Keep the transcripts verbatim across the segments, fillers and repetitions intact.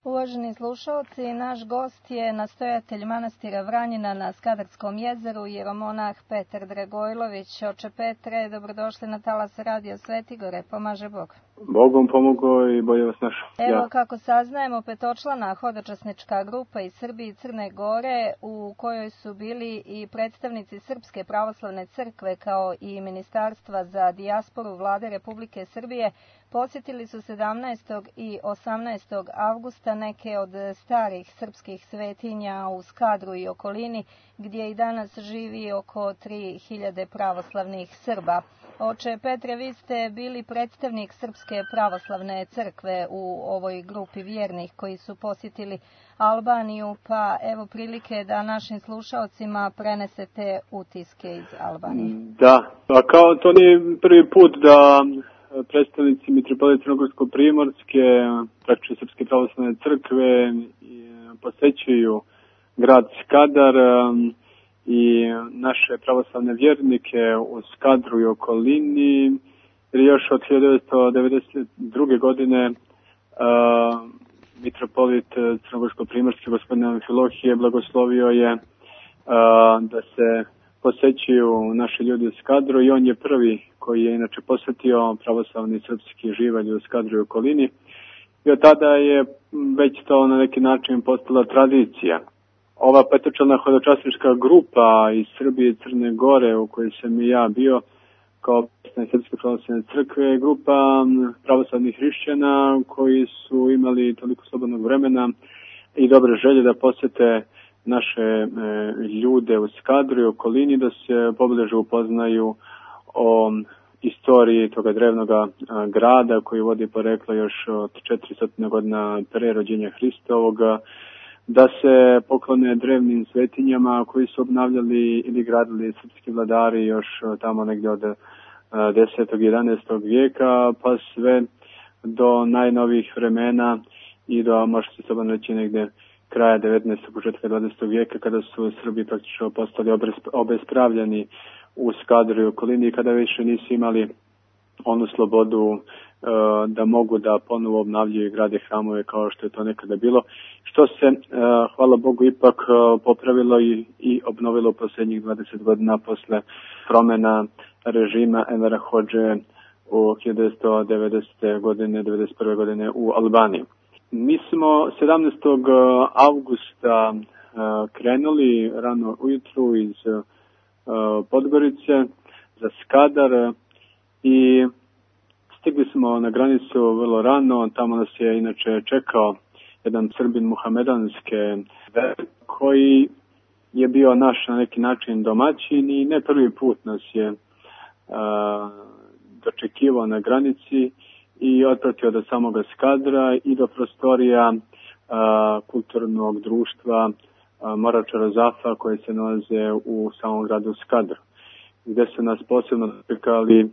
Uvaženi slušalci, naš gost je nastojatelj manastira Vranjina na Skadarskom jezeru, jeromonah Petar Dragojlović. Oče Petre, dobrodošli na talas Radio Svetigore, pomaže Bog. Bogom pomogao i bolje vas našao. Evo, ja. Kako saznajemo, petočlana hodočasnička grupa iz Srbije i Crne Gore, u kojoj su bili i predstavnici Srpske pravoslavne crkve kao i Ministarstva za dijasporu Vlade Republike Srbije, posjetili su sedamnaestog i osamnaestog avgusta neke od starih srpskih svetinja u Skadru i okolini, gdje i danas živi oko tri hiljade pravoslavnih Srba. Oče Petre, vi ste bili predstavnik Srpske pravoslavne crkve u ovoj grupi vjernih koji su posjetili Albaniju, pa evo prilike da našim slušaocima prenesete utiske iz Albanije. Da, a kao to nije prvi put da predstavnici Mitropolije Crnogorsko-Primorske, praktično Srpske pravoslavne crkve, posećuju grad Skadar i naše pravoslavne vjernike u Skadru i okolini. Jer još od hiljadu devetsto devedeset druge. godine uh, mitropolit Crnogorsko-Primorske gospodin Amfilohije blagoslovio je uh, da se posećuju naši ljudi u Skadru i on je prvi koji je inače posjetio pravoslavni srpski živalj u Skadru i okolini. I od tada je već to na neki način postala tradicija. Ova petočlana hodočasnička grupa iz Srbije i Crne Gore u kojoj sam i ja bio kao predstavnik Srpske pravoslavne crkve, grupa pravoslavnih hrišćana koji su imali toliko slobodnog vremena i dobre želje da posjete naše e, ljude u Skadru i okolini, da se pobliže upoznaju o istoriji toga drevnog grada koji vodi poreklo još od četiristo godina pre rođenja Hristovoga, da se poklone drevnim svetinjama koji su obnavljali ili gradili srpski vladari još tamo negdje od desetog i jedanaestog vijeka pa sve do najnovijih vremena i do, može se slobodno reći, negdje kraja devetnaestog. početka dvadesetog vijeka kada su Srbi praktično postali obespravljeni u Skadru i okolini, kada više nisu imali onu slobodu uh, da mogu da ponovo obnavljaju i grade hramove kao što je to nekada bilo, što se, uh, hvala Bogu, ipak uh, popravilo i, i obnovilo u posljednjih dvadeset godina posle promjena režima Envera Hodže u hiljadu devetsto devedesete. godine, devedeset prve. godine u Albaniji. Mi smo sedamnaestog avgusta uh, krenuli rano ujutru iz uh, Podgorice za Skadar i stigli smo na granicu vrlo rano. Tamo nas je inače čekao jedan Srbin muhamedanske vere koji je bio naš na neki način domaćin i ne prvi put nas je uh, dočekivao na granici i otpratio do samoga Skadra i do prostorija uh, kulturnog društva uh, Morača Rozafa koje se nalaze u samom gradu Skadru, gdje su nas posebno dočekali uh,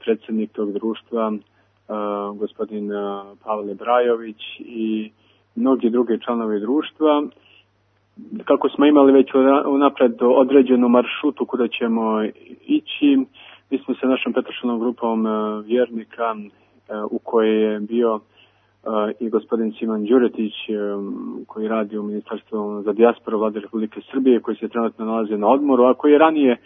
predsjednik tog društva, uh, gospodin uh, Pavle Brajović i mnogi drugi članovi društva. Kako smo imali već unapred određenu maršrutu kuda ćemo ići, mi smo se našom petočlanom grupom uh, vjernika uh, u kojoj je bio uh, i gospodin Siman Đuretić um, koji radi u Ministarstvu za dijasporu Vlade Republike Srbije, koji se trenutno nalazi na odmoru, a koji je ranije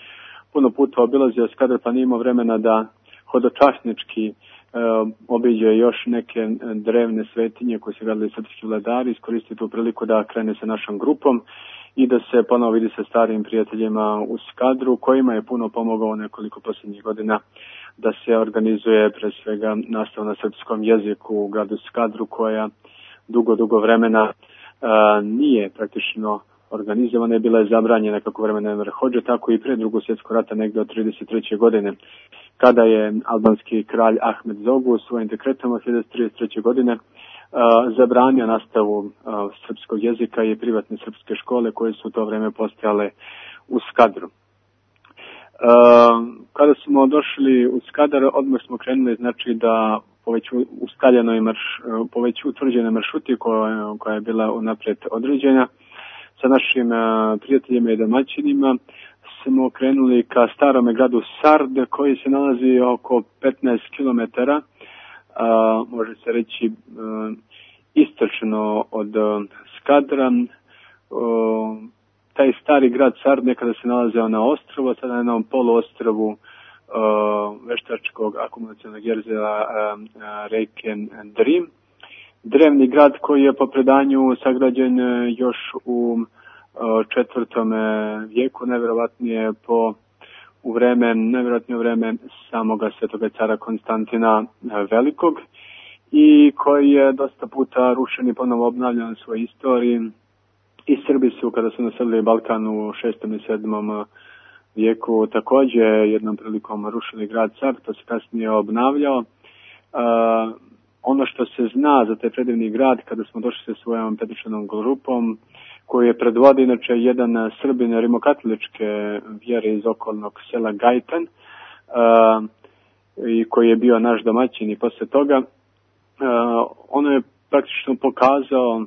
puno puta obilazio Skadar pa nije imao vremena da hodočasnički uh, obiđe još neke drevne svetinje koje su gradili srpski vladari, iskoristi tu priliku da krene sa našom grupom i da se ponovo vidi sa starim prijateljima u Skadru, kojima je puno pomogao nekoliko posljednjih godina da se organizuje pre svega nastava na srpskom jeziku u gradu Skadru, koja dugo, dugo vremena uh, nije praktično organizovana, je bila je zabranjena kako vremena Enver Hodže, tako i pre drugog svjetskog rata negdje od trideset treće. godine, kada je albanski kralj Ahmed Zogu svojim dekretom od hiljadu devetsto trideset treće. godine uh, zabranio nastavu uh, srpskog jezika i privatne srpske škole koje su u to vrijeme postojale u Skadru. Uh, kada smo došli u Skadar, odmah smo krenuli, znači da po već ustaljenoj marš, po već utvrđenoj maršruti koja, koja je bila unaprijed određena, sa našim uh, prijateljima i domaćinima smo krenuli ka starome gradu Sard, koji se nalazi oko petnaest kilometara, uh, može se reći uh, istočno od Skadra. Taj stari grad Sard nekada se nalazio na ostrvu, sada na jednom poluostrovu veštačkog akumulacionog jezera reke Drim. Drevni grad koji je po predanju sagrađen još u četvrtom vijeku, najvjerovatnije po u vreme, najvjerojatnije u vreme samoga svetoga cara Konstantina Velikog, i koji je dosta puta rušen i ponovo obnavljan u svojoj istoriji. I Srbi su, kada su naselili Balkan u šestom i sedmom vijeku, također jednom prilikom rušili grad Sard, to se kasnije obnavljao. Uh, ono što se zna za taj predivni grad, kada smo došli sa svojom petočlanom grupom, koji je predvodio inače jedan Srbin rimokatoličke vjere iz okolnog sela Gajtan, uh, i koji je bio naš domaćin i posle toga, uh, ono je praktično pokazao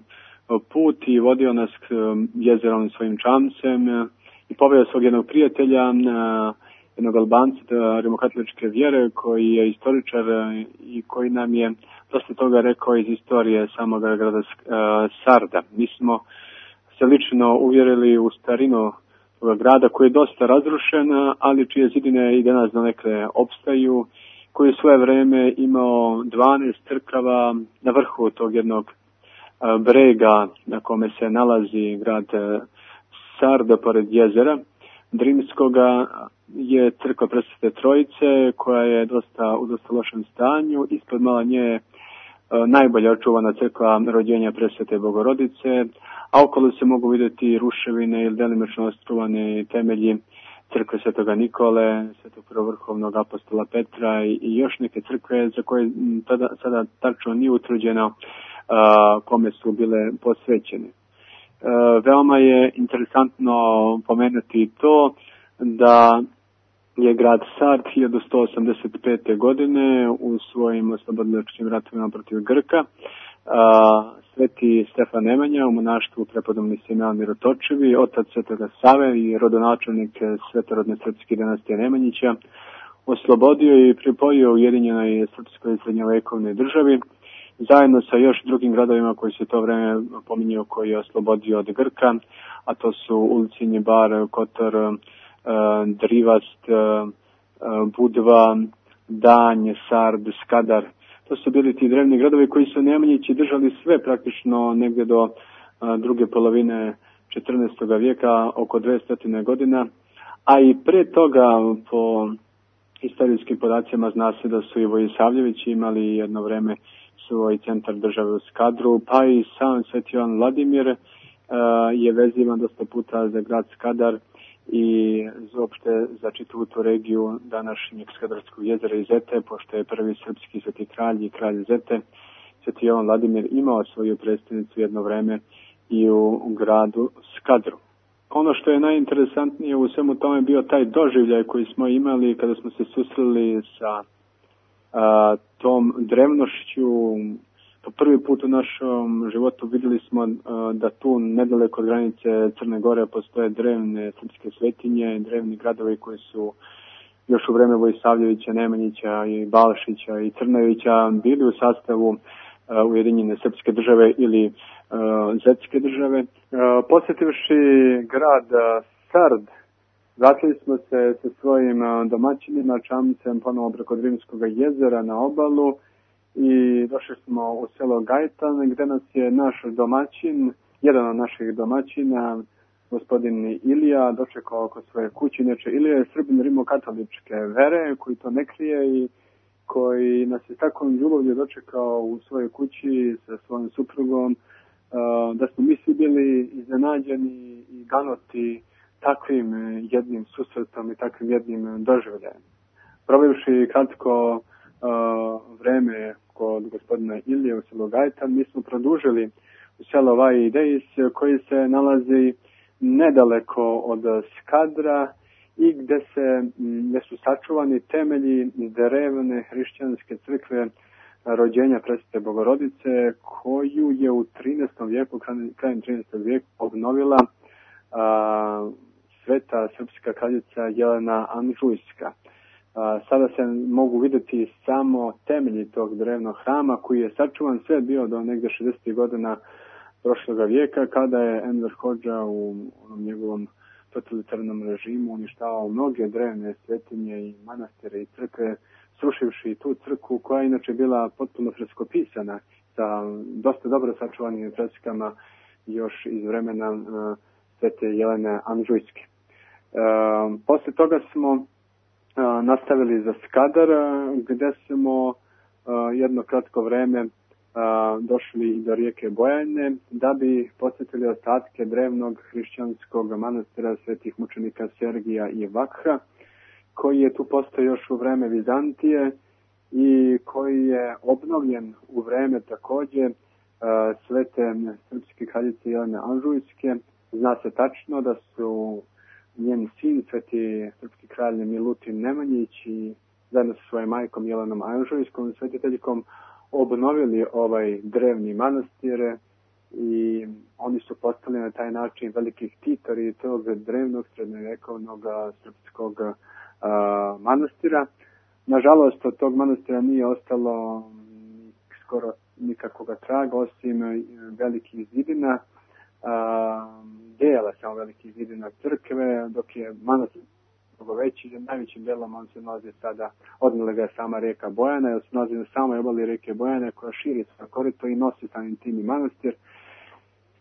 put i vodio nas k jezerom svojim čamcem i poveo svog jednog prijatelja, jednog Albanca rimokatoličke vjere, koji je istoričar i koji nam je dosta toga rekao iz istorije samog grada Sarda. Mi smo se lično uvjerili u starinu toga grada, koji je dosta razrušen, ali čije zidine i danas donekle opstaju, koji je svoje vreme imao dvanaest crkava na vrhu tog jednog brega na kome se nalazi grad Sarda pored jezera Drimskoga. Je crkva Presvete Trojice, koja je dosta u dosta lošem stanju. Ispod mala nje najbolje očuvana crkva Rođenja Presvete Bogorodice, a okolo se mogu vidjeti ruševine ili delimično ostruvane temelji crkve Svetoga Nikole, Svetog prvovrhovnog apostola Petra i još neke crkve za koje tada, sada tačno nije utvrđeno a, kome su bile posvećene. A, veoma je interesantno pomenuti to da je grad Sard hiljadu sto osamdeset pete. godine u svojim oslobodilačkim ratovima protiv Grka a, Sveti Stefan Nemanja u monaštvu prepodobni Simeon Mirotočevi, otac Svetoga Save i rodonačelnik svetorodne srpske dinastije Nemanjića, oslobodio i pripojio Ujedinjenoj srpskoj srednjovekovnoj državi, zajedno sa još drugim gradovima koji se to vreme pominjao, koji je oslobodio od Grka, a to su Ulcinj, Bar, Kotor, Drivast, Budva, Danj, Sard, Skadar. To su bili ti drevni gradovi koji su Nemanjići držali sve praktično negdje do a, druge polovine četrnaestog vijeka, oko dvesta godina, a i pre toga po historijskim podacima zna se da su i Vojisavljevići imali jedno vreme svoj centar države u Skadru, pa i sam Sveti Jovan Vladimir a, je vezivan dosta puta za grad Skadar i uopšte za čitavu tu regiju današnjeg Skadarskog jezera i Zete, pošto je prvi srpski sveti kralj i kralj Zete, Sveti Jovan Vladimir, imao svoju predstavnicu jedno vreme i u gradu Skadru. Ono što je najinteresantnije u svemu tome bio taj doživljaj koji smo imali kada smo se susreli sa a, tom drevnošću. Po prvi put u našom životu vidjeli smo uh, da tu nedaleko od granice Crne Gore postoje drevne srpske svetinje, drevni gradovi koji su još u vreme Vojisavljevića, Nemanjića i Balšića i Crnojevića bili u sastavu uh, Ujedinjene srpske države ili uh, Zetske države. Uh, posjetivši grad uh, Sard, vratili smo se sa svojim uh, domaćinima, čamcem ponovo preko Drimskog jezera na obalu, i došli smo u selo Gajtan, gde nas je naš domaćin, jedan od naših domaćina, gospodin Ilija, dočekao oko svoje kuće. Inače, Ilija je Srbin rimokatoličke vere, koji to ne krije i koji nas je takvom ljubavlju dočekao u svojoj kući sa svojim suprugom, da smo mi svi bili iznenađeni i ganoti takvim jednim susretom i takvim jednim doživljajem. Provivši kratko Uh, vreme kod gospodina Ilije u selu Gajtan, mi smo produžili u selo Vajidejs, koji se nalazi nedaleko od Skadra i gde se gde su sačuvani temelji drevne hrišćanske crkve Rođenja Presvete Bogorodice, koju je u trinaestom vijeku, krajem trinaestog vijeka obnovila uh, sveta srpska kraljica Jelena Anžujska. Sada se mogu vidjeti samo temelji tog drevnog hrama koji je sačuvan sve bio do negdje šezdesetih godina prošloga vijeka, kada je Enver Hodža u onom njegovom totalitarnom režimu uništavao mnoge drevne svetinje i manastire i crkve, srušivši tu crkvu koja je inače bila potpuno freskopisana sa dosta dobro sačuvanim freskama još iz vremena uh, svete Jelene Anžujske. Uh, posle toga smo uh, nastavili za Skadar, uh, gde smo uh, jedno kratko vreme uh, došli i do rijeke Bojane, da bi posjetili ostatke drevnog hrišćanskog manastira svetih mučenika Sergija i Vakha, koji je tu postao još u vreme Vizantije i koji je obnovljen u vreme takođe uh, svete srpske kraljice Jelene Anžujske. Zna se tačno da su njen sin, sveti srpski kralj Milutin Nemanjić i zajedno sa svojom majkom Jelenom Anžujskom, svetiteljkom, obnovili ovaj drevni manastir i oni su postali na taj način veliki ktitori tog drevnog srednjovekovnog srpskog a, manastira. Nažalost, od tog manastira nije ostalo skoro nikakvoga traga, osim velikih zidina, a, dela samo velikih zidina crkve, dok je manastir mnogo veći, najvećim delom on se nalazi sada, odnijela ga je sama rijeka Bojana, jer se nalazi na samoj obali rijeke Bojane koja širi svoje korito i nosi samim tim i manastir.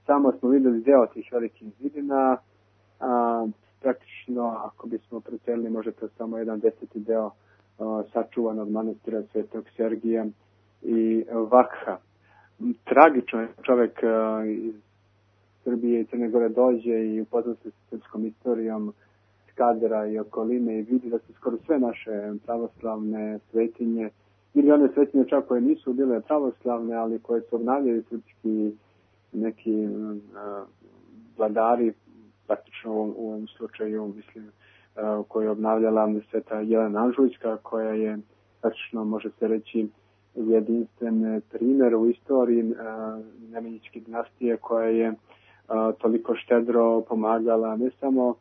Samo smo vidjeli deo tih velikih zidina, a, praktično, ako bismo precelili, možda to samo jedan deseti deo a, sačuvan od manastira Svetog Sergija i Vakha. Tragično je čovjek a, iz Srbije i Crne Gore dođe i upozna se s srpskom istorijom Skadra i okoline i vidi da su skoro sve naše pravoslavne svetinje, ili one svetinje čak koje nisu bile pravoslavne, ali koje su obnavljali srpski neki uh, vladari, praktično u, u ovom slučaju, mislim, uh, koju je obnavljala sveta Jelena Anžujska, koja je, praktično može se reći, jedinstven primjer u istoriji uh, Nemanjićke dinastije, koja je uh, toliko štedro pomagala ne samo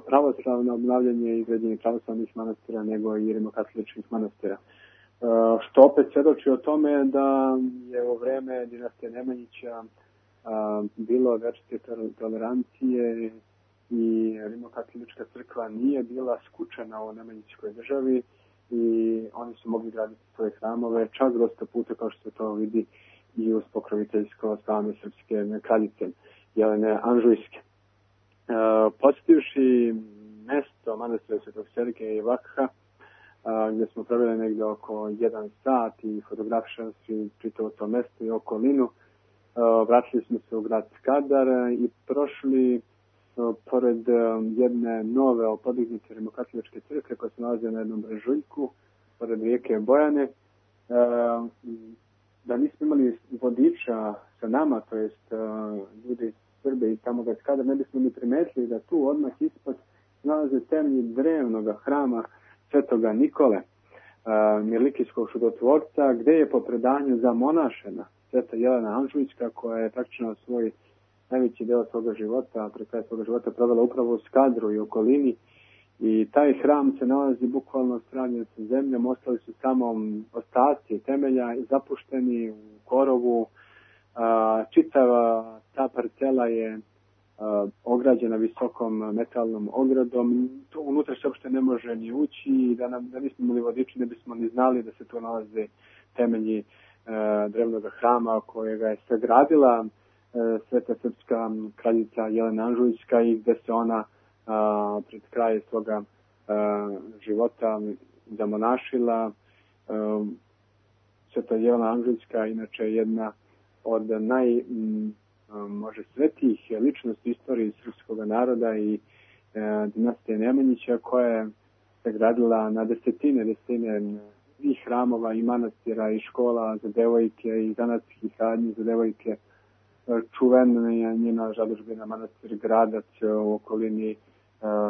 pravoslavno obnavljanje i izgradnje pravoslavnih manastira, nego i rimokatoličkih manastira. Što opet svjedoči o tome da je u vreme dinastije Nemanjića bilo večite tolerancije i rimokatolička crkva nije bila skučena u Nemanjićkoj državi i oni su mogli graditi svoje hramove čak dosta puta, kao što se to vidi i uz pokroviteljsko slavne srpske kraljice Jelene Anžujske. Uh, posjetivši mesto manastira Svetog Sergija i Vakha, uh, gdje smo proveli negdje oko jedan sat i fotografišali čitavo to mesto i okolinu, uh, vratili smo se u grad Skadar i prošli uh, pored um, jedne nove opodignute rimokatoličke crkve koja se nalazi na jednom brežuljku pored rijeke Bojane. Uh, da nismo imali vodiča sa nama, to jest uh, ljudi Srbe i samoga Skadra, ne bismo ni primetili da tu odmah ispod nalaze temelji drevnog hrama Svetoga Nikole, uh, Mirlikijskog čudotvorca, gde je po predanju zamonašena sveta Jelena Anžujska, koja je praktično svoj najveći deo svoga života, pre kraja svoga života provela upravo u Skadru i okolini. I taj hram se nalazi bukvalno stranjen sa zemljom, ostali su samo ostaci temelja zapušteni u korovu. A, čitava ta parcela je a, ograđena visokom metalnom ogradom. Tu unutra se uopšte ne može ni ući i da, nam, da nismo imali vodiči ne bismo ni znali da se tu nalaze temelji a, drevnog hrama kojega je sagradila a, sveta srpska kraljica Jelena Anžujska i gde se ona a, pred kraj svoga a, života zamonašila. A, sveta Jelena Anžujska inače jedna od naj, m, može, svetijih ličnosti istorije srpskog naroda i e, dinastije Nemanjića, koja je sagradila na desetine, desetine i hramova, i manastira, i škola za devojke, i zanatskih radnji za devojke. Čuvena je njena zadužbina manastir Gradac u okolini, e,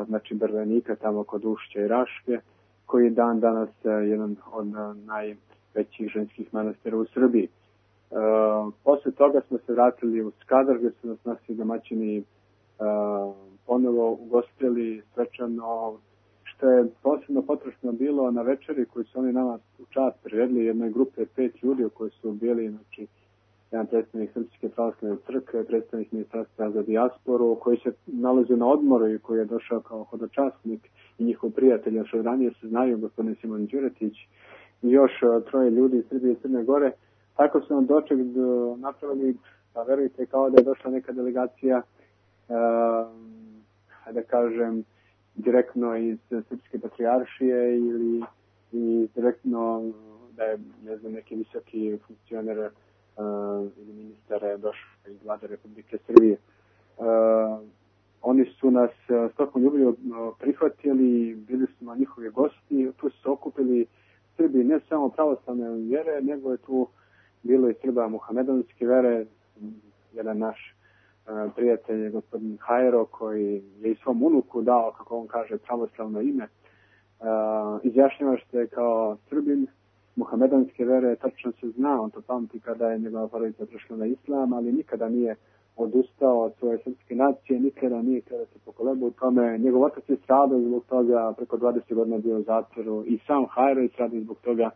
znači Brvenika, tamo kod Ušća i Raške, koji je dan danas jedan od najvećih ženskih manastira u Srbiji. Uh, posle toga smo se vratili u Skadar, gdje su nas naši domaćini uh, ponovo ugostili svečano, što je posebno potrošno bilo na večeri koju su oni nama u čast priredili jednoj grupe pet ljudi koji su bili, znači, jedan predstavnik Srpske pravoslavne crkve, predstavnik Ministarstva za dijasporu, koji se nalazi na odmoru i koji je došao kao hodočasnik i njihov prijatelj, još od ranije se znaju, gospodin Simon Đuretić, i još troje ljudi iz Srbije i Crne Gore. Tako su nam doček napravili, pa verujte, kao da je došla neka delegacija, uh, da kažem, direktno iz Srpske patrijaršije ili, ili direktno da je, ne znam, neki visoki funkcioner uh, ili ministar je došao iz vlade Republike Srbije. Uh, oni su nas s tokom ljublju prihvatili, bili smo njihovi gosti, tu su se okupili Srbi ne samo pravoslavne vjere, nego je tu bilo i Srba muhamedanske vere, jedan naš uh, prijatelj, gospodin Hajro, koji je i svom unuku dao, kako on kaže, pravoslavno ime. Uh, izjašnjava se kao Srbin muhamedanske vere, tačno se zna, on to pamti kada je njegova porodica prešla na islam, ali nikada nije odustao od svoje srpske nacije, nikada nije kada se pokolebao u tome. Njegov otac je stradao zbog toga, preko dvadeset godina bio u zatvoru, i sam Hajro je stradao zbog toga.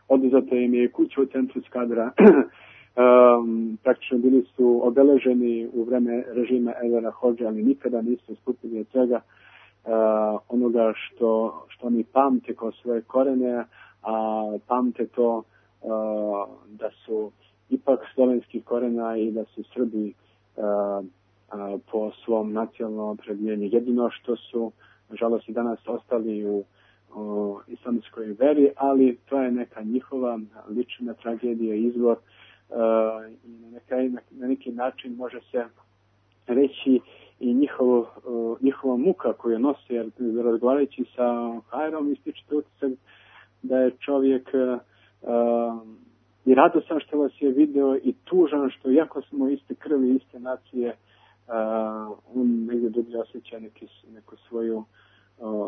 Oduzeto im je kuća u centru Skadra. um, praktično bili su obeleženi u vreme režima Envera Hodže, ali nikada nisu stupili od svega uh, onoga što, što oni pamte kao svoje korene, a pamte to uh, da su ipak slovenskih korena i da su Srbi uh, uh, po svom nacionalnom opredjeljenju. Jedino što su, nažalost, i danas ostali u o islamskoj veri, ali to je neka njihova lična tragedija, izvor uh, i na, neka, na neki način može se reći i njihov, uh, njihova muka koju nose, jer razgovarajući sa Hajrom ističete utisak da je čovjek uh, i radosan što vas je video i tužan što, iako smo iste krvi, iste nacije, uh, on negdje dublje osjeća neki, neku svoju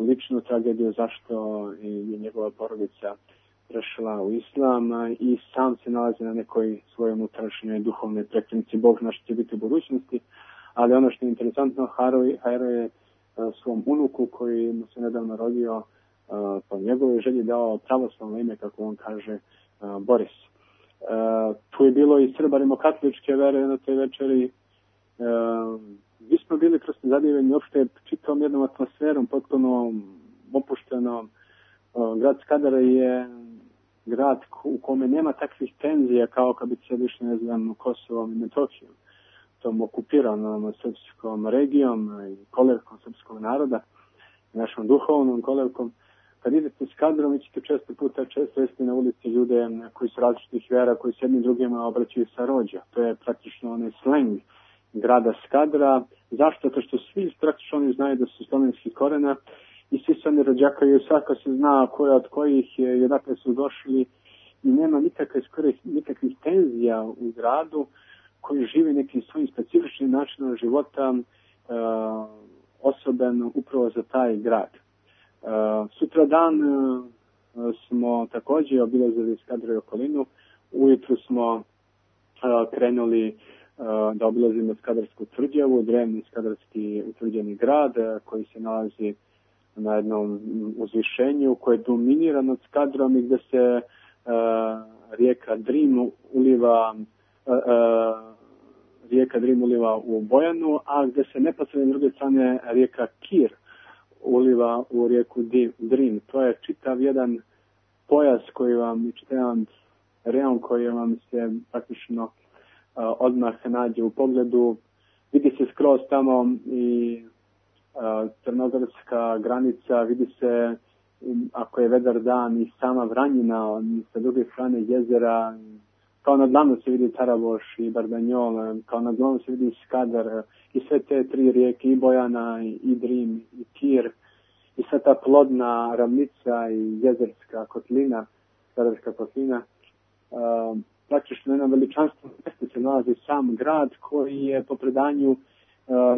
ličnu tragediju zašto je njegova porodica prešla u islam i sam se nalazi na nekoj svojoj unutrašnjoj duhovnoj prekretnici. Bog zna što će biti u budućnosti, ali ono što je interesantno, Hajro je svom unuku koji mu se nedavno rodio po njegovoj želji dao pravoslavno ime, kako on kaže, Boris. Tu je bilo i Srba rimokatoličke vere na toj večeri. Mi smo bili prosto zadivljeni uopšte čitavom jednom atmosferom, potpuno opuštenom. Grad Skadar je grad u kome nema takvih tenzija kao kad bi se više, ne znam, Kosovom i Metohijom, tom okupiranom srpskom regijom i kolevkom srpskog naroda, našom duhovnom kolevkom. Kad idete Skadrom, vi ćete često puta često jesti na ulici ljude koji su različitih vera, koji se jednim drugima obraćaju sa rođa. To je praktično onaj sleng grada Skadra. Zašto? To što svi praktično oni znaju da su slovenskih korena i svi se oni rođakaju, svako se zna koja od kojih je i odakle su došli i nema nikakve, skoro nikakvih tenzija u gradu koji živi nekim svojim specifičnim načinom života uh, osoben upravo za taj grad. Uh, sutra dan uh, smo također obilazili Skadra i okolinu. Ujutru smo uh, krenuli da obilazimo Skadarsku tvrđavu, drevni skadarski utvrđeni grad koji se nalazi na jednom uzvišenju koje je dominira nad Skadrom i gdje se uh, rijeka Drim uliva uh, uh, rijeka Drim uliva u Bojanu, a gdje se neposredno s druge strane rijeka Kir uliva u rijeku Drim. To je čitav jedan pojas koji vam, čitav jedan rejon koji vam se praktično Uh, odmah nađe u pogledu. Vidi se skroz tamo i uh, crnogorska granica, vidi se um, ako je vedar dan i sama Vranjina, sa druge strane jezera, kao na dlanu se vidi Taraboš i Bardanjol, kao na dlanu se vidi Skadar i sve te tri rijeke, i Bojana, i Drim, i Kir, i sve ta plodna ravnica i jezerska kotlina, Skadarska kotlina. Uh, praktično na jednom veličanstvenom mjestu se nalazi sam grad koji je po predanju uh,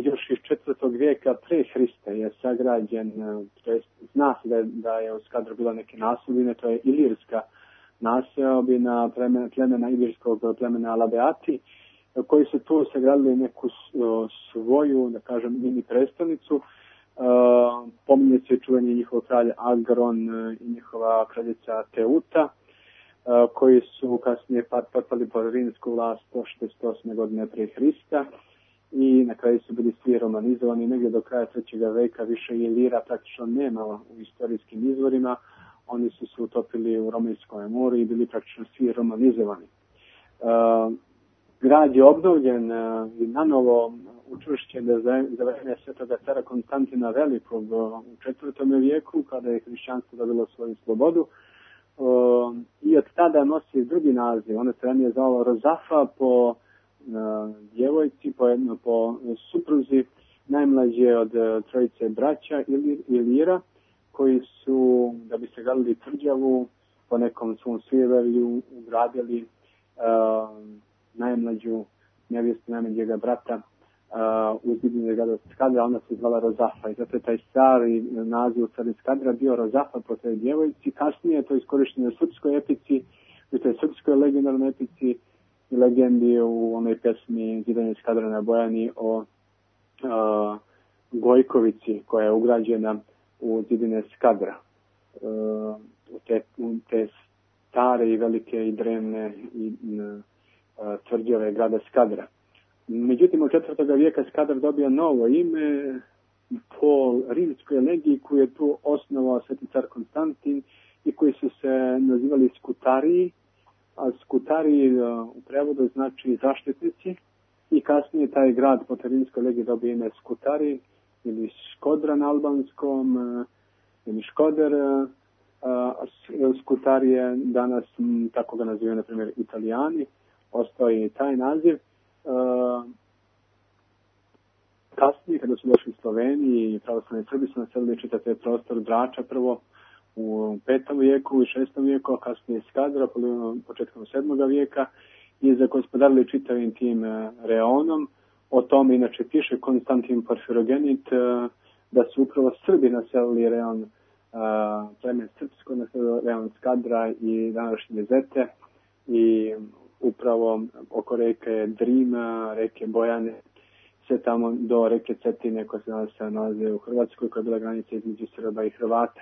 još iz četvrtog vijeka pre Hrista je sagrađen, uh, to jest zna se da je, da je u Skadru bila neke naseobine, to je ilirska naseobina plemena, plemena ilirskog plemena Labeati, uh, koji su tu sagradili neku uh, svoju, da kažem, mini prestolnicu Uh, pominje se čuveni njihov kralj Agron i njihova kraljica Teuta, uh, koji su kasnije potpali pod rimsku vlast sto šezdeset osme godine prije Hrista i na kraju su bili svi romanizovani. Negdje do kraja trećeg veka više Ilira praktično nema u istorijskim izvorima. Oni su se utopili u Romanskome moru i bili praktično svi romanizovani. Uh, grad je obnovljen uh, i nanovo učvršćen za, za vreme svetoga cara Konstantina Velikog u četvrtom vijeku, kada je hrišćanstvo dobilo svoju slobodu. Uh, I od tada nosi drugi naziv. Ono se ranije zvalo Rozafa po uh, djevojci, po, jedno, po supruzi najmlađe od uh, trojice braća Ilir, Ilira, koji su, da bi se gradili tvrđavu, po nekom svom sujeverju ugradili uh, najmlađu nevjestu najmlađega brata uh, u zidine grada Skadra, ona se zvala Rozafa. I zato je taj stari naziv u stvari Skadra bio Rozafa po toj djevojci. Kasnije je to iskorišteno u srpskoj epici, u toj srpskoj legendarnoj epici i legendi u onoj pesmi Zidanje Skadra na Bojani o uh, Gojkovici, koja je ugrađena u zidine Skadra, uh, u te, u te stare i velike i drevne i uh, tvrđave grada Skadra. Međutim, od četvrtog vijeka Skadar dobija novo ime po rimskoj legiji koju je tu osnovao sveti car Konstantin i koji su se nazivali Skutariji, a Skutariji uh, u prevodu znači zaštitnici i kasnije taj grad po rimskoj legiji dobija ime Skutariji ili Škodra na albanskom, ili Škoder, Skutarije, danas tako ga nazivaju, na primjer, Italijani, ostao je i taj naziv. Kasnije, kada su došli Sloveniji i pravoslavni Srbi, su naselili čitav prostor Drača prvo u petom vijeku i šestom vijeku, a kasnije Skadra početkom sedmog vijeka i zagospodarili čitavim tim reonom. O tome inače piše Konstantin Porfirogenit, da su upravo Srbi naselili reon, plemen srpsko, naselili reon Skadra i današnje Zete i upravo oko reke Drima, reke Bojane, sve tamo do reke Cetine koja se danas nalazi u Hrvatskoj, koja je bila granica između Srba i Hrvata.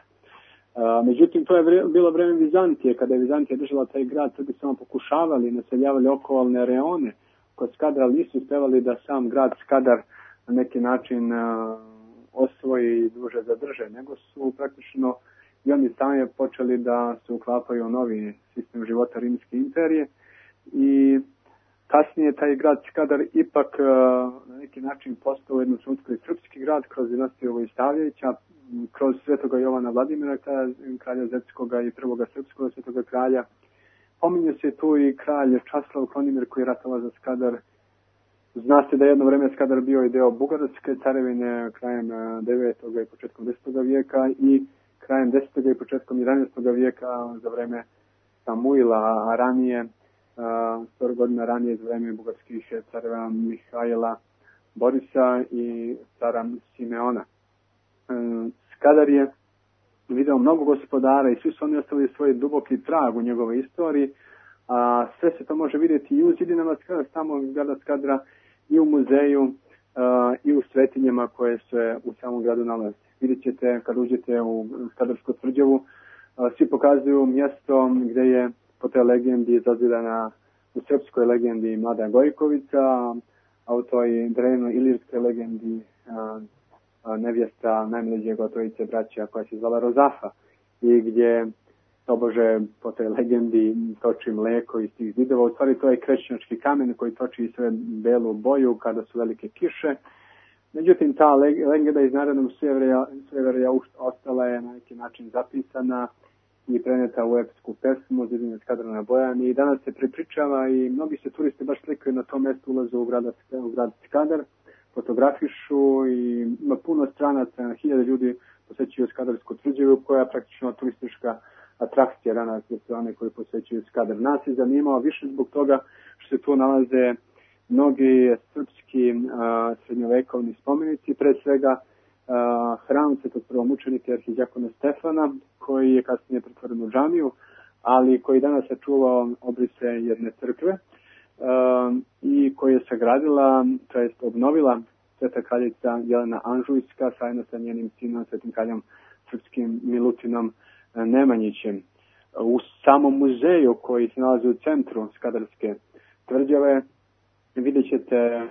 Međutim, to je bilo vreme Vizantije, kada je Vizantija držala taj grad, Srbi samo pokušavali, naseljavali okolne reone kod Skadra, ali nisu uspevali da sam grad Skadar na neki način uh, osvoji i duže zadrže, nego su praktično i oni sami počeli da se uklapaju u novi sistem života Rimske imperije i kasnije taj grad Skadar ipak uh, na neki način postao jedno trenutku i srpski grad kroz dinastiju Vojstavljevića, kroz svetoga Jovana Vladimira, kralja, kralja Zetskoga i prvoga srpskog svetoga kralja. Pominje se tu i kralj Časlav Konimir koji je ratovao za Skadar. Zna se da je jedno vreme Skadar bio i deo Bugarske carevine krajem devetog i početkom desetog vijeka i krajem desetog i početkom jedanaestog vijeka za vreme Samuila, a ranije, sto godina ranije za vreme bugarskih careva Mihajla Borisa i cara Simeona. Skadar je video mnogo gospodara i svi su oni ostavili svoj duboki trag u njegovoj istoriji, a sve se to može vidjeti i u zidinama Skadra, samog grada Skadra, i u muzeju, a, i u svetinjama koje se u samom gradu nalaze. Vidjet ćete kad uđete u Skadarsku tvrđavu, a, svi pokazuju mjesto gdje je po toj legendi zazidana u srpskoj legendi Mlada Gojkovica, a u toj drevnoj ilirskoj legendi a, nevjesta najmlađeg od trojice braća koja se zvala Rozafa i gdje tobože po toj legendi toči mleko iz tih zidova. U stvari to je krečnjački kamen koji toči sve belu boju kada su velike kiše. Međutim, ta legenda iz narodnog sujeverja ostala je na neki način zapisana i preneta u epsku pesmu Zidine Skadra na Bojani i danas se prepričava i mnogi se turisti baš slikaju na tom mjestu, ulaze u grad, u grad Skadar, fotografišu i ima puno stranaca, hiljade ljudi posjećuju Skadarsku tvrđavu koja je praktično turistička atrakcija danas za sve one koji posjećuju Skadar. Nas je zanimao više zbog toga što se tu nalaze mnogi srpski a, srednjovekovni spomenici, pre svega a, hram svetog prvomučenika arhidijakona Stefana koji je kasnije pretvoren u džamiju, ali koji danas sačuvao obrise jedne crkve. Uh, i koja je sagradila, to jest obnovila sveta kraljica Jelena Anžujska zajedno sa njenim sinom, svetim kraljem srpskim Milutinom Nemanjićem. U samom muzeju koji se nalazi u centru Skadarske tvrđave vidjet ćete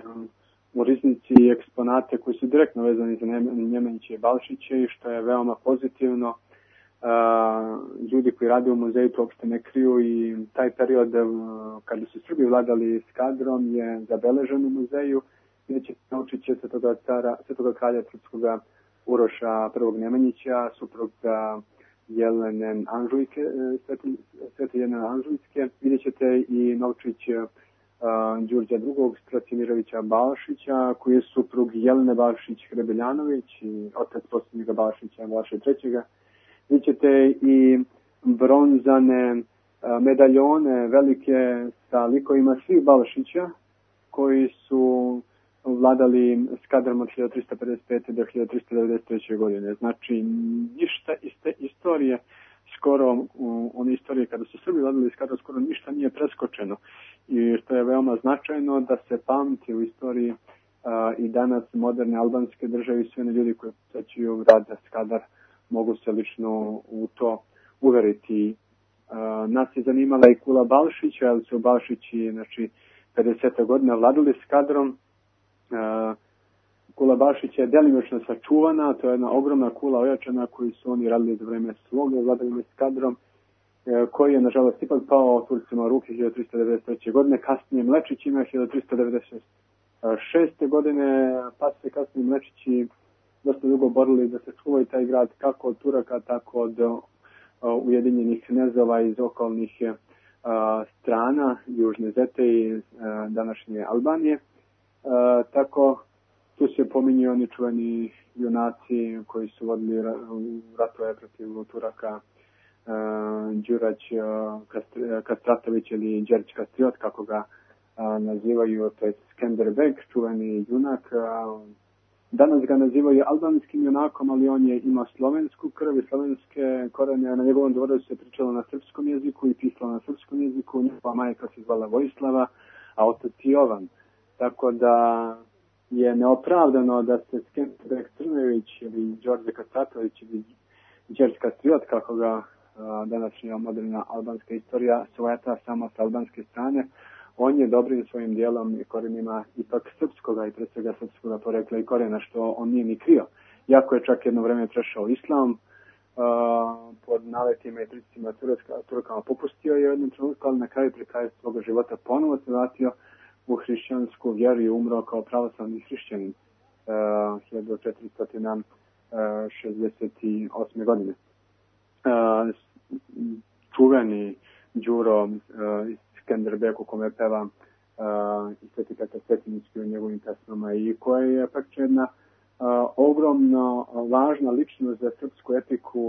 u riznici eksponate koji su direktno vezani za Nemanjiće i Balšiće i što je veoma pozitivno. Uh, ljudi koji rade u muzeju to uopšte ne kriju i taj period uh, kada su Srbi vladali Skadrom je zabeležen u muzeju. Vidjet ćete naučit će svetoga, cara, svetoga kralja srpskoga Uroša prvog Nemanjića, supruga Jelene Anžujke, svete Jelene Anžujske. Vidjet ćete i naučić uh, Đurđa drugog. Stracimirovića Balšića, koji je suprug Jelene Balšić-Hrebeljanović i otac posljednjega Balšića, Balše trećega. Vidjet ćete i bronzane medaljone velike sa likovima svih Balšića koji su vladali Skadrom od hiljadu trista pedeset pete do hiljadu trista devedeset treće. godine. Znači, ništa iz te istorije, skoro one istorije kada su Srbi vladali Skadrom, skoro ništa nije preskočeno. I što je veoma značajno da se pamti u istoriji uh, i danas moderne albanske države i sve ljudi koji posjećuju grad Skadar mogu se lično u to uveriti. Uh, nas je zanimala i kula Balšića, ali su Balšići, znači, pedesete godine vladali Skadrom. Uh, kula Balšića je delimično sačuvana, to je jedna ogromna kula ojačana koju su oni radili za vreme svoga vladavine Skadrom, uh, koji je, nažalost, ipak pao Turcima u ruke hiljadu trista devedeset treće. godine, kasnije Mlečićima hiljadu trista devedeset šeste. godine, pa se kasnije Mlečići dosta dugo borili da se čuvaju taj grad kako od Turaka, tako od uh, ujedinjenih knezova iz okolnih uh, strana, Južne Zete i uh, današnje Albanije. Uh, tako tu se pominju oni čuveni junaci koji su vodili ratove protiv Turaka, uh, Đurać uh, Kastr- Kastratović ili Đerć Kastriot, kako ga uh, nazivaju, to je Skenderbeg, čuveni junak. Uh, Danas ga nazivaju albanskim junakom, ali on je imao slovensku krv i slovenske korene. Na njegovom dvoru se pričalo na srpskom jeziku i pisalo na srpskom jeziku. Njegova majka se zvala Vojislava, a otac Jovan. Tako da je neopravdano da se Skenderbeg Crnojević ili Đorđe Kastratović ili Đerć Kastriot, kako ga a, današnja moderna albanska istorija svojata samo sa albanske strane. On je dobrim svojim dijelom i korenima ipak srpskoga i pre svega srpskoga porekla i korena, što on nije ni krio. Iako je čak jedno vreme prešao islam, uh, pod naletima i pritiscima Turkama popustio je u jednom trenutku, ali na kraju pri kraju svoga života ponovo se vratio u hrišćansku vjeru i umro kao pravoslavni hrišćanin uh, hiljadu četiristo šezdeset osme. godine. Uh, čuveni Đuro uh, Skenderbeg, u kome peva uh, i Sveti Petar Cetinjski u njegovim pesmama i koja je pak jedna uh, ogromno važna ličnost za srpsku etiku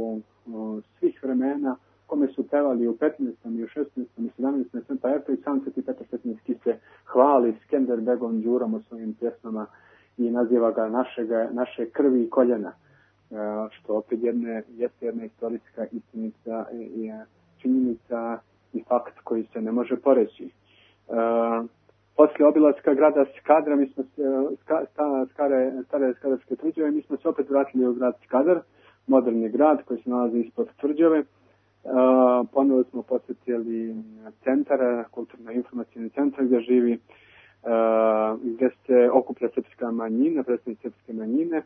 uh, svih vremena, kome su pevali u petnaestom i u šesnaestom i sedamnaestom pa eto i sam Sveti Petar Cetinjski se hvali Skenderbegom Đurom u svojim pjesmama i naziva ga našega, naše krvi i koljena, uh, što opet jedne, jeste jedna istorijska istinica i, i činjenica i fakt koji se ne može poreći. Uh, posle obilaska grada Skadra, mi smo se, ska, sta, skare, stare Skadarske tvrđave, mi smo se opet vratili u grad Skadar, moderni grad koji se nalazi ispod tvrđave. Uh, ponovo smo posjetili centar, kulturno-informacijni centar gdje živi, uh, gdje se okuplja srpska manjina, predstavnici srpske manjine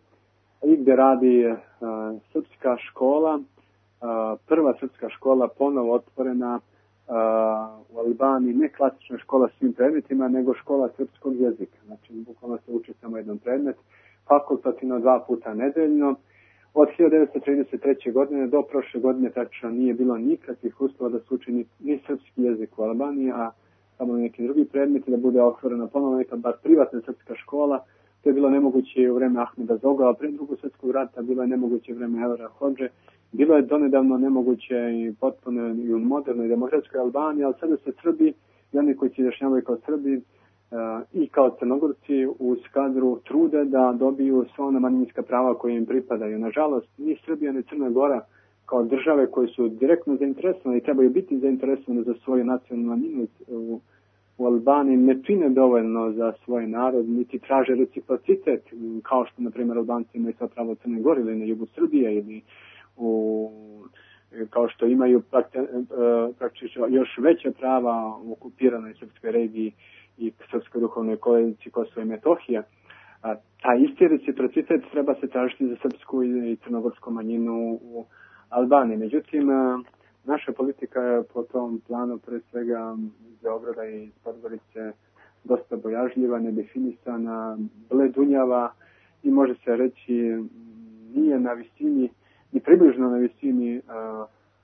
i gdje radi uh, srpska škola, uh, prva srpska škola ponovo otvorena Uh, u Albaniji, ne klasična škola s svim predmetima, nego škola srpskog jezika. Znači, bukvalno se uči samo jedan predmet, fakultativno dva puta nedeljno. Od hiljadu devetsto trideset treće. godine do prošle godine tačno nije bilo nikakvih uslova da se uči ni, ni srpski jezik u Albaniji, a samo neki drugi predmeti, da bude otvorena ponovno neka bar privatna srpska škola. To je bilo nemoguće u vreme Ahmeda Zoga, a pre drugog svjetskog rata bilo je nemoguće u vreme Evra Hodže. Bilo je donedavno nemoguće i potpuno i u modernoj demokratskoj Albaniji, ali sada se Srbi i oni koji se izjašnjavaju kao Srbi uh, i kao Crnogorci u Skadru trude da dobiju sva ona manjinska prava koje im pripadaju. Nažalost, ni Srbija ni Crna Gora kao države koje su direktno zainteresovane i trebaju biti zainteresovane za svoju nacionalnu manjinu u u Albaniji ne čine dovoljno za svoj narod, niti traže reciprocitet, kao što, na primjer, Albanci imaju sva prava u Crnoj Gori ili na jugu Srbije ili u, kao što imaju praktično još veće prava u okupiranoj srpskoj regiji i srpskoj duhovnoj koaliciji Kosovo i Metohija. A taj isti reciprocitet treba se tražiti za srpsku i crnogorsku manjinu u Albaniji. Međutim, naša politika je po tom planu pre svega iz Beograda i iz Podgorice dosta bojažljiva, nedefinisana, bledunjava i može se reći nije na visini, ni približno na visini uh,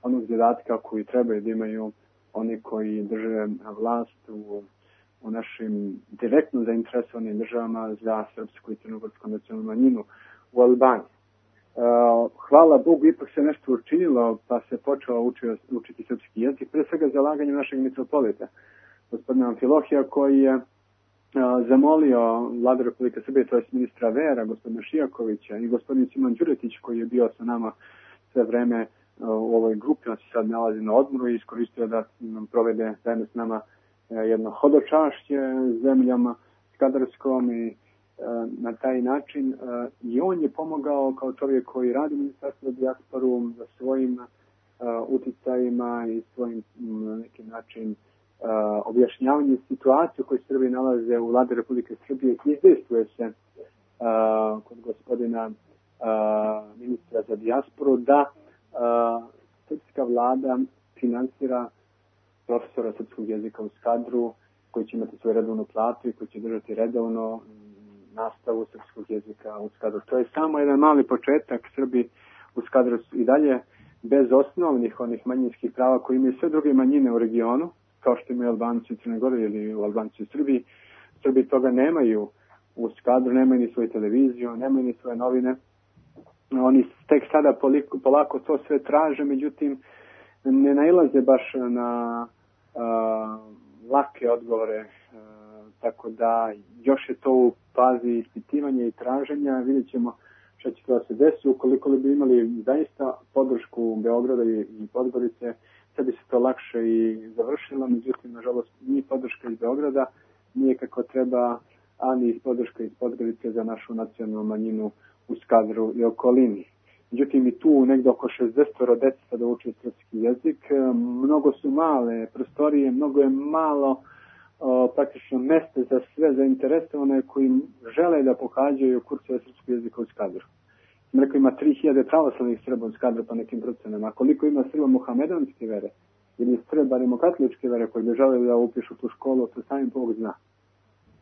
onog zadatka koji trebaju da imaju oni koji drže vlast u, u našim direktno zainteresovanim državama za srpsku i crnogorsku nacionalnu manjinu u Albaniji. Uh, hvala Bogu, ipak se nešto učinilo, pa se počeo učio, učiti srpski jezik, pre svega zalaganjem našeg mitropolita, gospodina Amfilohija, koji je uh, zamolio Vladu Republike Srbije, to je ministra vera, gospodina Šijakovića i gospodin Simon Đuretić, koji je bio sa nama sve vreme uh, u ovoj grupi, on se sad nalazi na odmoru i iskoristio da nam provede zajedno s nama uh, jedno hodočašće zemljama Skadarskom i na taj način i on je pomogao kao čovjek koji radi u Ministarstvu za dijasporu za svojim uh, uticajima i svojim na neki način uh, objašnjavanjem situacije u kojoj Srbiji nalaze u Vladi Republike Srbije. Izdejstvuje se uh, kod gospodina uh, ministra za dijasporu da uh, srpska vlada finansira profesora srpskog jezika u Skadru koji će imati svoju redovnu platu i koji će držati redovno nastavu srpskog jezika u Skadru. To je samo jedan mali početak. Srbi u Skadru i dalje bez osnovnih onih manjinskih prava koji imaju sve druge manjine u regionu, kao što imaju Albanci u Crnoj Gori ili u Albanci u Srbiji. Srbi toga nemaju u Skadru, nemaju ni svoju televiziju, nemaju ni svoje novine. Oni tek sada polako, polako to sve traže, međutim ne nailaze baš na a, lake odgovore, tako da još je to u fazi ispitivanja i traženja. Vidjet ćemo šta će to se desiti. Ukoliko bi imali zaista podršku Beograda i Podgorice, sad bi se to lakše i završilo. Međutim, nažalost, nije podrška iz Beograda, nije kako treba, ani iz podrška iz Podgorice za našu nacionalnu manjinu u Skadru i okolini. Međutim, i tu negdje oko šezdeset dece da uči srpski jezik. Mnogo su male prostorije, mnogo je malo O, praktično mjeste za sve zainteresovane koji žele da pohađaju kurseve srpskog jezika u Skadru. Rekao, ima tri hiljade pravoslavnih Srba u Skadru po nekim procenama. A koliko ima Srba muhamedanske vere ili Srba rimokatoličke vere koji bi želeli da upišu tu školu, to sami Bog zna.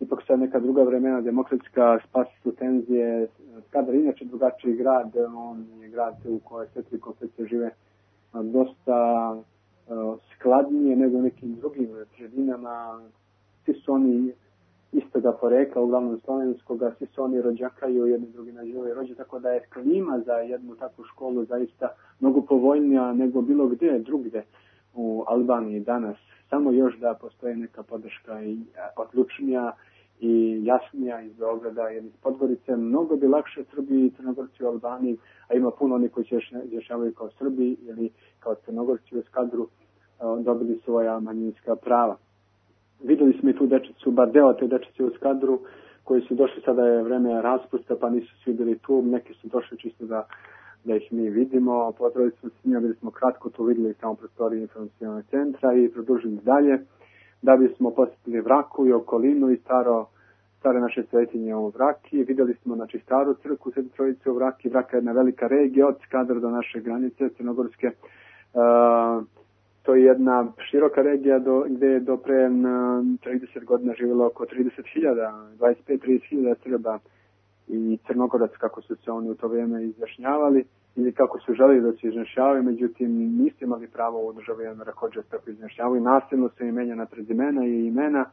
Ipak sad neka druga vremena demokratska, spasi su tenzije. Skadar je inače drugačiji grad, on je grad u kojoj sve tri konfekcije žive dosta uh, skladnije nego u nekim drugim sredinama. Svi su oni istoga porekla, uglavnom slovenskoga, svi su oni rođakaju, jedni drugi na živoj rođe, tako da je klima za jednu takvu školu zaista mnogo povoljnija nego bilo gdje drugdje u Albaniji danas. Samo još da postoje neka podrška i odlučnija i jasnija iz Beograda, jer iz Podgorice mnogo bi lakše Srbiji i Crnogorci u Albaniji, a ima puno oni koji se izjašnjavaju kao Srbi ili kao Crnogorci u Skadru, dobili svoja manjinska prava. Vidjeli smo i tu dečicu, bar deo te dečice u Skadru, koji su došli, sada je vreme raspusta, pa nisu svi bili tu, neki su došli čisto da, da ih mi vidimo. Pozdravili smo s njima, bili smo kratko tu vidjeli samo prostorije informacionalnog centra i produžili dalje, da bismo posjetili Vraku i okolinu i staro, stare naše svetinje u Vraki. Vidjeli smo, znači, staru crkvu Svete Trojice u Vraki. Vraka je jedna velika regija od Skadra do naše granice crnogorske. Uh, To je jedna široka regija do, gdje je do pre trideset godina živjelo oko trideset hiljada, dvadeset pet do trideset hiljada Srba i Crnogorac, kako su se oni u to vrijeme izjašnjavali ili kako su želeli da se izjašnjavaju, međutim nisu imali pravo u državi Rahodža tako izjašnjavaju. Nasilno su im menjana prezimena i imena,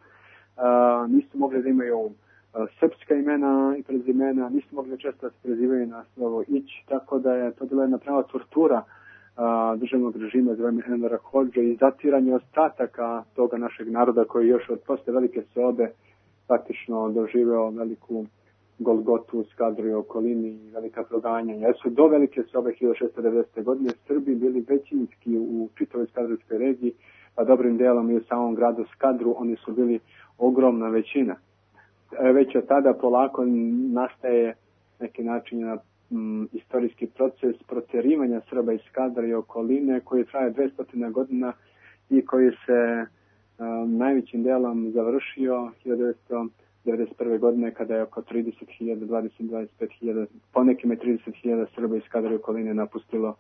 a, nisu mogli da imaju a, srpska imena i prezimena, nisu mogli često da se prezivaju na slovo ić, tako da je to bila jedna prava tortura a, državnog režima za vreme Envera Hodže i zatiranje ostataka toga našeg naroda koji još od posle velike sobe praktično doživeo veliku Golgotu u Skadru i okolini i velika proganjanja. Jer su do velike sobe hiljadu šessto devedesete. godine Srbi bili većinski u čitavoj skadrovskoj regiji, pa dobrim delom i u samom gradu Skadru, oni su bili ogromna većina. Već od tada polako nastaje neki način na m, istorijski proces protjerivanja Srba iz Skadra i okoline koji traje dvesta godina i koji se um, najvećim delom završio hiljadu devetsto devedeset prve. godine kada je oko trideset hiljada, dvadeset do dvadeset pet hiljada, po nekim je trideset hiljada Srba iz Skadra i okoline napustilo uh,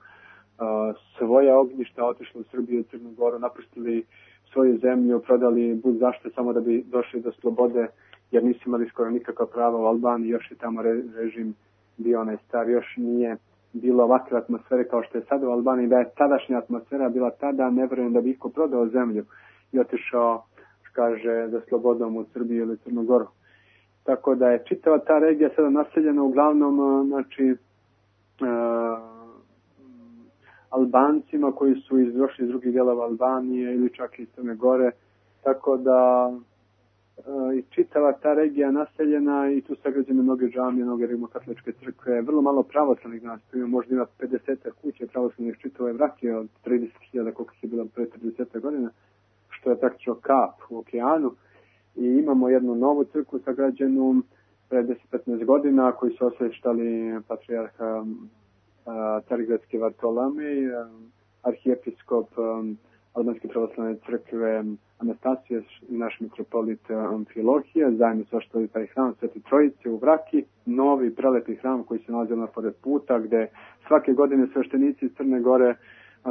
svoje ognjišta, otišlo u Srbiju i Crnu Goru, napustili svoju zemlju, prodali bud zašto samo da bi došli do slobode, jer nisu imali skoro nikakva prava u Albaniji, još je tamo re, režim bio onaj star, još nije bilo ovakve atmosfere kao što je sada u Albaniji. Da je tadašnja atmosfera bila tada, ne vjerujem da bi iko prodao zemlju i otišao, kaže, za slobodom u Srbiju ili Crnu Goru. Tako da je čitava ta regija sada naseljena uglavnom, znači, uh, Albancima koji su izdošli iz drugih dijelova Albanije ili čak i Crne Gore, tako da e, i čitava ta regija naseljena i tu sagrađene mnoge džamije, mnoge rimokatoličke crkve, vrlo malo pravoslavnih nas, tu ima možda ima pedeset kuće pravoslavnih čitave Vrake od trideset hiljada koliko je bilo pre trideset godina, što je praktično kap u okeanu, i imamo jednu novu crkvu sagrađenu pre deset do petnaest godina koji su osveštali patrijarha Carigradski Vartolomej, arhijepiskop Albanske pravoslavne crkve Anastasije i naš mitropolit Amfilohije, zajedno su oštali taj hram Svete Trojice u Vraki, novi prelepi hram koji se nalazi na pored puta, gde svake godine sveštenici iz Crne Gore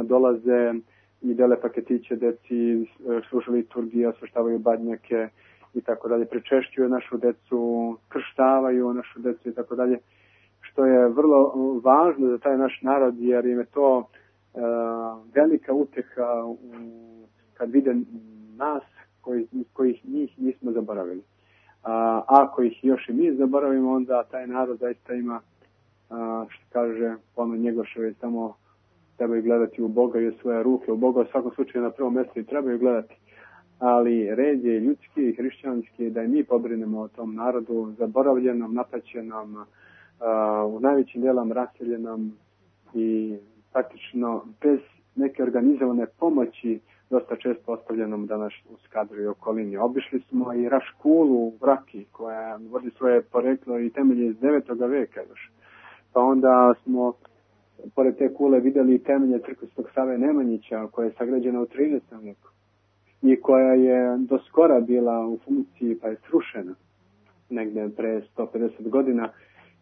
dolaze i dele paketiće deci, slušaju liturgije, osveštavaju badnjake i tako dalje, pričešćuju našu decu, krštavaju našu decu i tako dalje, što je vrlo važno za taj naš narod, jer im je to uh, velika uteha u, kad vide nas koji, kojih njih nismo zaboravili. A ako ih još i mi zaboravimo, onda taj narod zaista ima, uh, što kaže ono Njegoševe, samo trebaju gledati u Boga i u svoje ruke. U Boga u svakom slučaju na prvom mjestu i trebaju gledati. Ali red je ljudski i hrišćanski da i mi pobrinemo o tom narodu, zaboravljenom, napaćenom, uh, u najvećim dijelom raseljenom i praktično bez neke organizovane pomoći dosta često ostavljenom danas u Skadru i okolini. Obišli smo i Raškulu u Vraki, koja vodi svoje poreklo i temelje iz devetog veka još. Pa onda smo pored te kule vidjeli temelje crkve Svetog Save Nemanjića, koja je sagrađena u trinaestom veku i koja je do skora bila u funkciji pa je srušena negdje pre sto pedeset godina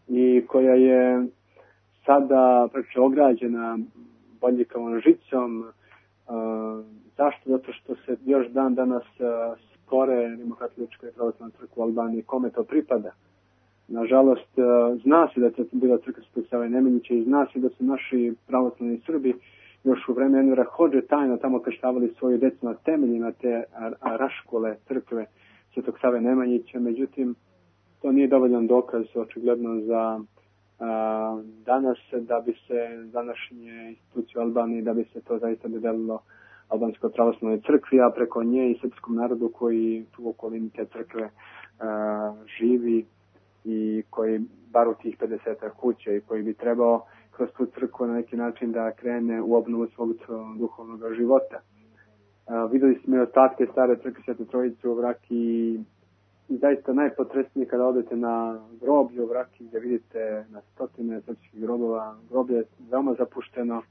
i koja je sada praktično ograđena bodljikavom žicom. Uh, zašto? Zato što se još dan danas uh, spore rimokatolička i pravoslavna crkva u Albaniji, kome to pripada. Nažalost, uh, zna se da je bila crkva Svetog Save Nemanjića i zna se da su naši pravoslavni Srbi još u vreme Envera Hodže tajno tamo krštavali svoju decu na temeljima te Raškole crkve Svetog Save Nemanjića. Međutim, to nije dovoljan dokaz očigledno za a, danas da bi se današnje institucije u Albaniji, da bi se to zaista dodelilo Albanskoj pravoslavnoj crkvi, a preko nje i srpskom narodu koji tu u okolini te crkve a, živi i koji bar u tih pedeset kuće i koji bi trebao kroz tu crkvu na neki način da krene u obnovu svog duhovnog života. Uh, vidjeli smo i ostatke stare crkve Svete Trojice u Vraki i zaista najpotresnije kada odete na groblje u Vraki gdje vidite na stotine srpskih grobova. Groblje je veoma zapušteno.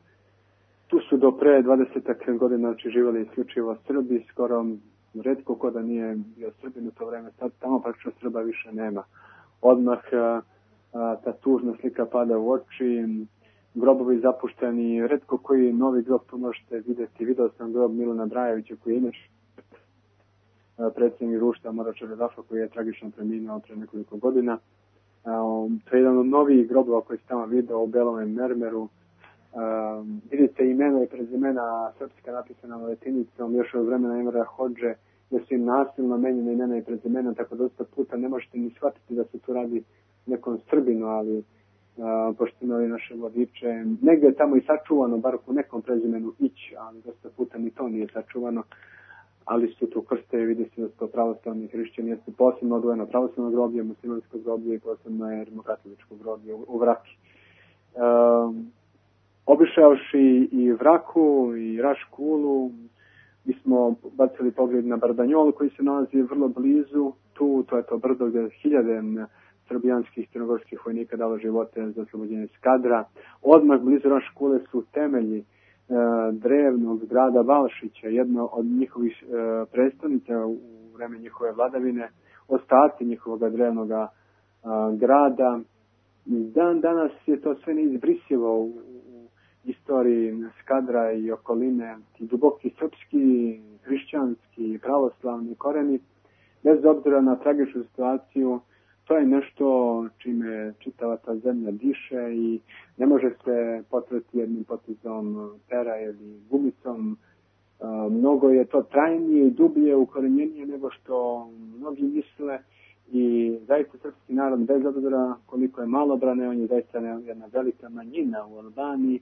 Tu su do pre dvadeset godina znači živjeli isključivo Srbi, skoro retko ko da nije bio Srbin u to vreme. Sad tamo praktično Srba više nema. Odmah uh, ta tužna slika pada u oči, grobovi zapušteni, retko koji novi grob tu možete vidjeti. Video sam grob Milana Brajevića koji je inače predsjednik društva Morača Redafa koji je tragično preminuo pre nekoliko godina. To je jedan od novih grobova koji se tamo vidio u belom mermeru. Vidite imena i prezimena srpska napisana latinicom još od vremena Envera Hodže, da su im nasilno menjene imena i prezimena, tako da dosta puta ne možete ni shvatiti da se tu radi nekom Srbinu, ali Uh, pošto imali naše vodiče, negdje je tamo i sačuvano, bar u nekom prezimenu ići, ali dosta puta ni to nije sačuvano, ali su tu krste i vidi se da su to pravoslavni hrišćani, jesu posebno odvojeno pravoslavno groblje, muslimansko groblje i posebno je rimokatoličko groblje u, u Vraki. Uh, obišavši i Vraku i Raškulu, Mi smo bacili pogled na Bardanjol koji se nalazi vrlo blizu. Tu, to je to brdo gdje hiljade srbijanskih i crnogorskih vojnika dalo živote za oslobođenje Skadra. Odmah blizu naše škole su temelji e, drevnog grada Valšića, jedno od njihovih e, predstavnica u vreme njihove vladavine, ostaci njihovog drevnog e, grada. Dan danas je to sve neizbrisivo u, u istoriji Skadra i okoline, ti duboki srpski, hrišćanski, pravoslavni koreni, bez obzira na tragičnu situaciju. To je nešto čime čitava ta zemlja diše i ne može se potrati jednim potezom pera ili gumicom. Mnogo je to trajnije i dublje ukorenjenije nego što mnogi misle i zaista srpski narod, bez obzira koliko je malobrane, on je zaista jedna velika manjina u Albaniji.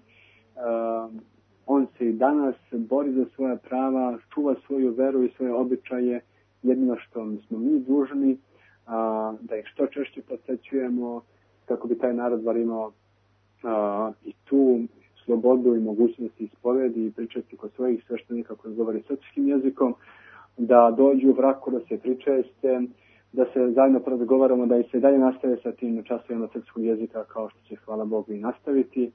On se i danas bori za svoja prava, čuva svoju veru i svoje običaje. Jedino što smo mi dužni a, da ih što češće posjećujemo kako bi taj narod bar imao a, i tu slobodu i mogućnosti ispovedi i pričati kod svojih sveštenika koji govori srpskim jezikom, da dođu u Vraku, da se pričeste, da se zajedno porazgovaramo, da i se dalje nastave sa tim časovima srpskog jezika kao što će, hvala Bogu, i nastaviti.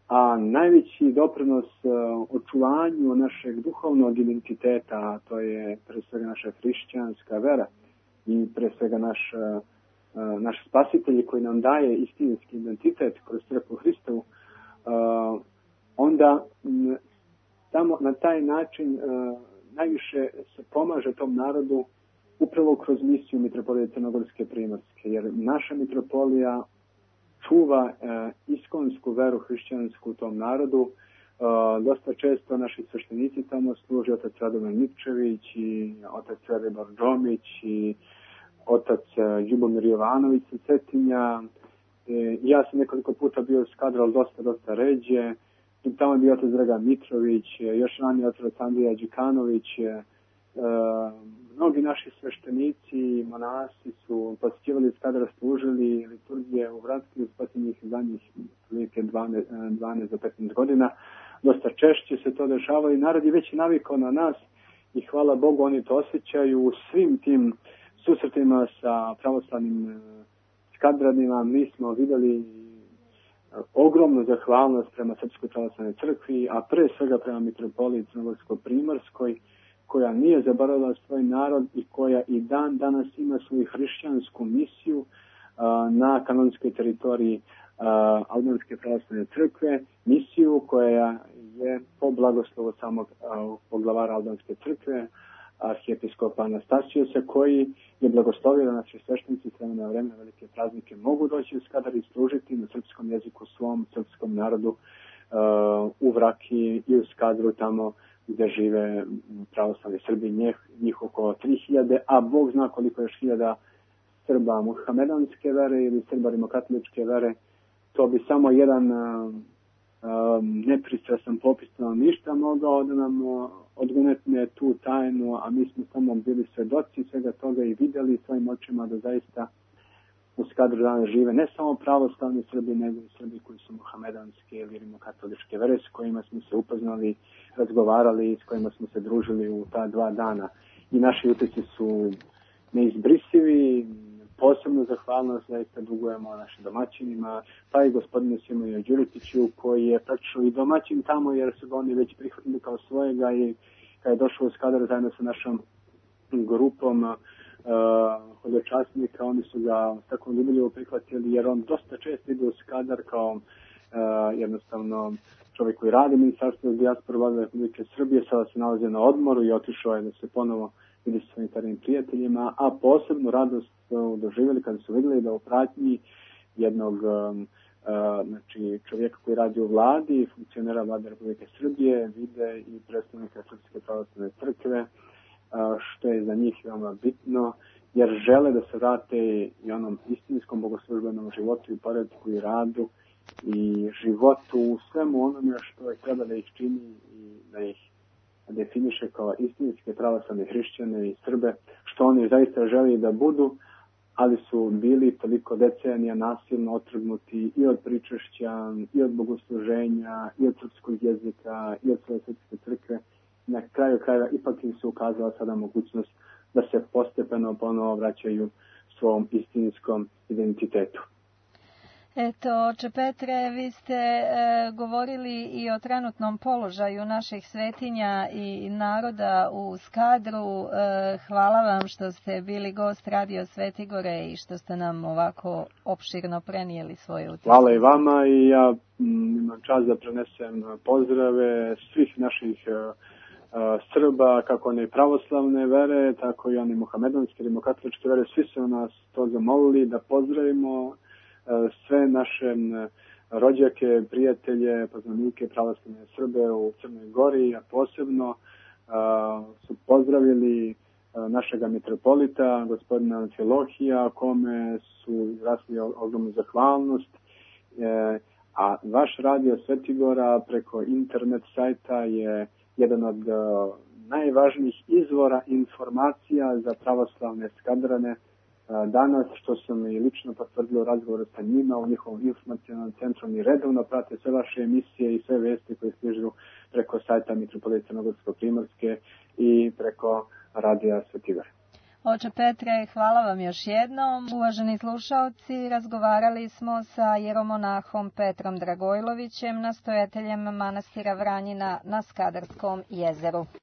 A najveći doprinos uh, očuvanju našeg duhovnog identiteta, a to je pre svega naša hrišćanska vera i pre svega naš, uh, naš spasitelj koji nam daje istinski identitet kroz crkvu Hristovu, uh, onda m, tamo na taj način uh, najviše se pomaže tom narodu upravo kroz misiju Mitropolije Crnogorske Primorske, jer naša mitropolija čuva e, iskonsku veru hrišćansku u tom narodu. E, dosta često naši sveštenici tamo služi otac Radovan Nikčević i otac Velibor Džomić i otac e, Ljubomir Jovanović sa Cetinja. E, ja sam nekoliko puta bio u Skadru, ali dosta, dosta ređe. I tamo je bio otac Dragan Mitrović, još ranije otac Andrija Đikanović. E, mnogi naši sveštenici i monasi su posjećivali Skadra, služili liturgije u Vratki u posljednjih zadnjih dvanaest do petnaest godina. Dosta češće se to dešava i narod je već navikao na nas i hvala Bogu oni to osjećaju u svim tim susretima sa pravoslavnim Skadranima. Mi smo vidjeli ogromnu zahvalnost prema Srpskoj pravoslavnoj crkvi, a pre svega prema Mitropoliji Crnogorsko-Primorskoj, koja nije zaboravila svoj narod i koja i dan danas ima svoju hrišćansku misiju uh, na kanonskoj teritoriji uh, Albanske pravoslavne crkve, misiju koja je po blagoslovu samog uh, poglavara Albanske crkve, arhijepiskopa Anastasijusa, koji je blagoslovio da naši sveštenici s vremena na vreme na velike praznike mogu doći u Skadar i služiti na srpskom jeziku svom srpskom narodu uh, u Vraki i u Skadru, tamo gdje žive pravoslavni Srbi, njih, njih oko tri hiljade, a Bog zna koliko još hiljada Srba muhamedanske vere ili Srba rimokatoličke vere. To bi samo jedan uh, uh, nepristrasan popis stanovništva mogao da nam uh, odgonetne tu tajnu, a mi smo samo bili svedoci svega toga i vidjeli svojim očima da zaista u Skadru danas žive ne samo pravoslavni Srbi, nego i Srbi koji su muhamedanske ili rimokatoličke vere, s kojima smo se upoznali, razgovarali, s kojima smo se družili u ta dva dana. I naši utisci su neizbrisivi, posebno zahvalnost zaista dugujemo našim domaćinima, pa i gospodinu Simoju Đuritiću, koji je praktično i domaćin tamo, jer su ga oni već prihvatili kao svojega i kada je došao u Skadar zajedno sa našom grupom uh, hodočasnika, oni su ga tako ljubiljivo prihvatili, jer on dosta često ide u Skadar kao uh, jednostavno čovjek koji radi Ministarstvo za dijasporu Vlade Republike Srbije, sada se nalazi na odmoru i otišao je da se ponovo vidi sa svojim starim prijateljima, a posebno radost su doživjeli kada su vidjeli da u pratnji jednog um, uh, znači čovjeka koji radi u vladi, funkcionera Vlade Republike Srbije, vide i predstavnika Srpske pravoslavne crkve, uh, što je za njih veoma bitno, jer žele da se vrate i onom istinskom bogoslužbenom životu i poretku i radu i životu u svemu onome što je treba da ih čini i da ih definiše kao istinske pravoslavne hrišćane i Srbe, što oni zaista želi da budu, ali su bili toliko decenija nasilno otrgnuti i od pričešća, i od bogosluženja, i od srpskog jezika, i od svoje srpske crkve, na kraju krajeva ipak im se ukazala sada mogućnost da se postepeno ponovo vraćaju svom istinskom identitetu. Eto, oče Petre, vi ste e, govorili i o trenutnom položaju naših svetinja i naroda u Skadru. E, hvala vam što ste bili gost Radio Svetigore i što ste nam ovako opširno prenijeli svoje utiske. Hvala i vama i ja m, imam čast da prenesem pozdrave svih naših e, Srba, kako one pravoslavne vere, tako i one muhamedanske, rimokatoličke vere. Svi su nas to zamolili da pozdravimo sve naše rođake, prijatelje, poznanike pravoslavne Srbe u Crnoj Gori, a posebno a, su pozdravili a, našega mitropolita, gospodina Amfilohija, kome su izrazili ogromnu zahvalnost. E, a vaš Radio Svetigora preko internet sajta je jedan od a, najvažnijih izvora informacija za pravoslavne Skadrane danas, što sam i lično potvrdilo razgovore sa njima u njihovom informacionalnom centru. Oni redovno prate sve vaše emisije i sve vesti koje stižu preko sajta Mitropolije Crnogorsko-Primorske i preko Radija Svetigore. Oče Petre, hvala vam još jednom. Uvaženi slušaoci, razgovarali smo sa jeromonahom Petrom Dragojlovićem, nastojateljem manastira Vranjina na Skadarskom jezeru.